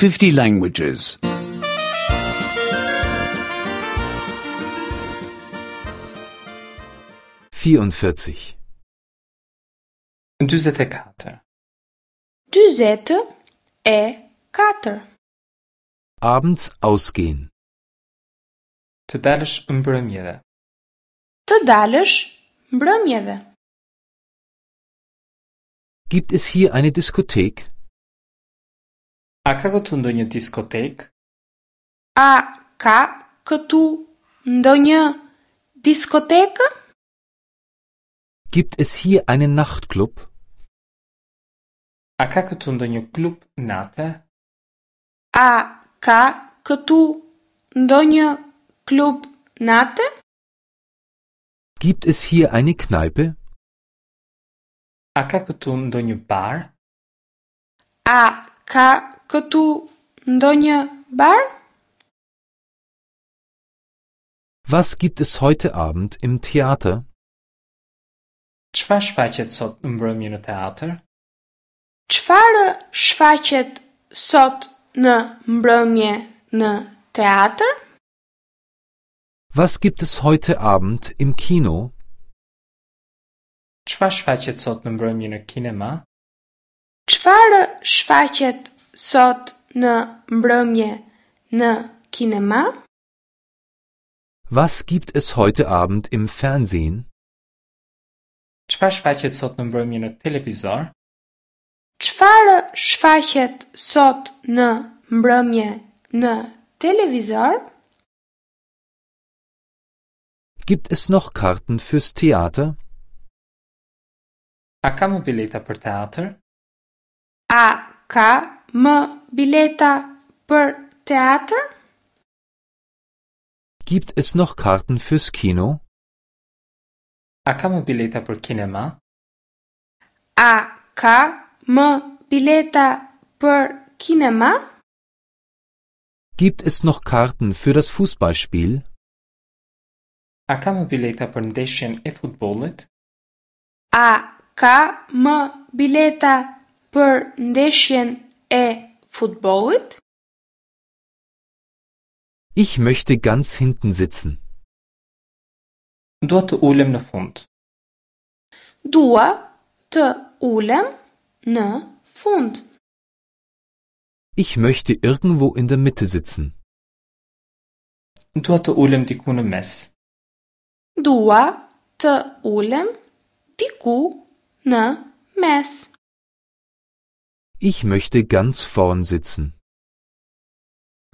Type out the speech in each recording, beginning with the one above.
50 languages. 44. 44. 44. Abends ausgehen. Të dalësh mbrëmjeve. Të dalësh mbrëmjeve. Gibt es hier eine Diskothek? A ka këtu ndonjë diskotekë? A ka këtu ndonjë diskotekë? Gibt es hier einen Nachtclub? A ka këtu ndonjë klub nate? A ka këtu ndonjë klub nate? Gibt es hier eine Kneipe? A ka këtu ndonjë bar? A ka këtu ndonjë bar? Was gibt es heute Abend im Theater? Çfarë shfaqet sot në mbrëmje në teatr? Çfarë shfaqet sot në mbrëmje në teatr? Was gibt es heute Abend im Kino? Çfarë shfaqet sot në mbrëmje në kinema? Çfarë shfaqet sot në mbrëmje në kinema? Was gibt es heute Abend im Fernsehen? Çfarë shfaqet sot në mbrëmje në televizor? Çfarë shfaqet sot në mbrëmje në televizor? Gibt es noch Karten fürs Theater? A ka më bileta për teatr? A ka më bileta për teatr? Gibt es noch Karten fürs Kino? A ka më bileta për kinema? A ka më bileta për kinema? Gibt es noch Karten für das Fußballspiel? A ka më bileta për ndeshjen e futbollit? A ka më bileta për ndeshjen e futbollit? Ich möchte ganz hinten sitzen. Dua të ulem në fund. Dua të ulem në fund. Ich möchte irgendwo in der Mitte sitzen. Dua të ulem diku në mes. Dua të ulem diku në mes. Ich möchte ganz vorn sitzen.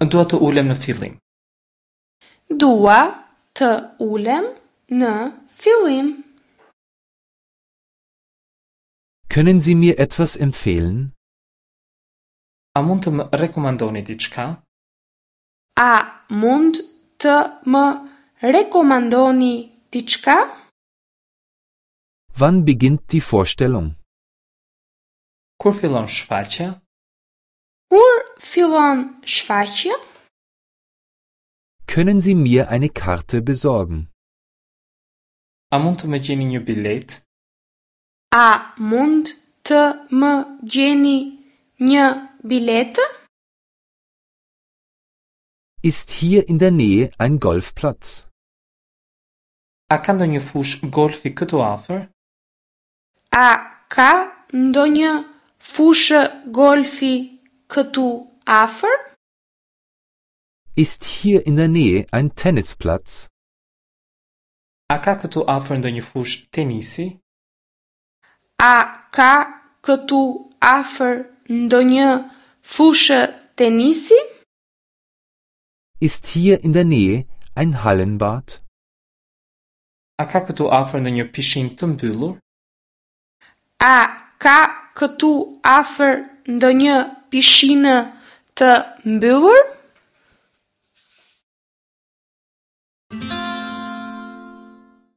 Dua të ulem në fillim. Dua të ulem në fillim. Können Sie mir etwas empfehlen? A mund të më rekomandoni diçka? A mund të më rekomandoni diçka? Wann beginnt die Vorstellung? Kur fillon shfaqja? Kur fillon shfaqja? Können Sie mir eine Karte besorgen? A mund të më gjeni një biletë? A mund të më gjeni një biletë? Ist hier in der Nähe ein Golfplatz? A ka ndonjë fushë golfi këtu afër? A ka ndonjë fushë golfi këtu afër? Ist hier in der Nähe ein Tennisplatz? A ka këtu afër ndonjë fushë tenisi? A ka këtu afër ndonjë fushë tenisi? Ist hier in der Nähe ein Hallenbad? A ka këtu afër ndonjë pishinë të mbyllur? A ka këtu afër ndonjë pishinë të mbyllur?